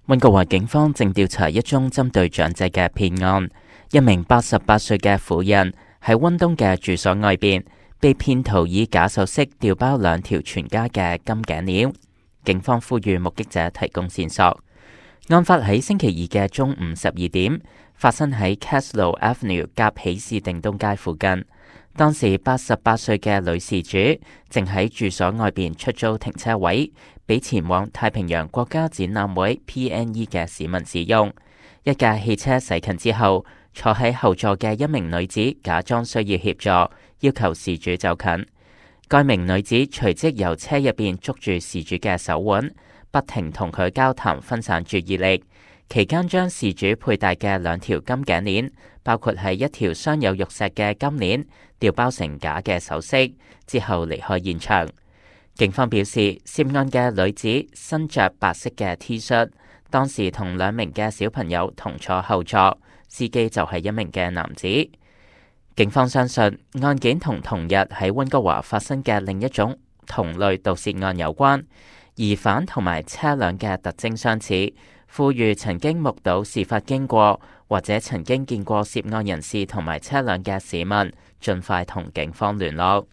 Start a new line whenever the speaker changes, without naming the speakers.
溫哥華警方正調查一宗針對長者嘅騙案。一名88歲嘅婦人喺溫東嘅住所外邊被騙徒以假首飾調包2條全家嘅金頸鏈。警方呼籲目擊者提供線索。案發喺星期2嘅中午12點，發生喺 Castle Avenue 夾喜士定東街附近。當時88歲嘅女事主正喺住所外邊出租停車位，俾前往太平洋國家展覽會 PNE 嘅市民使用。一架汽車駛近之後，坐喺後座嘅一名女子假裝需要協助，要求事主走近。該名女子隨即由車入邊捉住事主嘅手腕，不停同佢交談，分散注意力。期間將事主佩戴嘅2條金頸鏈，包括係一條鑲有玉石嘅金鏈，調包成假嘅首飾，之後離開現場。警方表示，涉案嘅女子身着白色嘅 T 恤，當時同2名嘅小朋友同坐後座，司機就係一名嘅男子。警方相信案件同同日喺溫哥華發生嘅另一種同類盜竊案有關，疑犯同埋車輛嘅特徵相似，呼籲曾經目睹事發經過或者曾經見過涉案人士同埋車輛嘅市民，盡快同警方聯絡。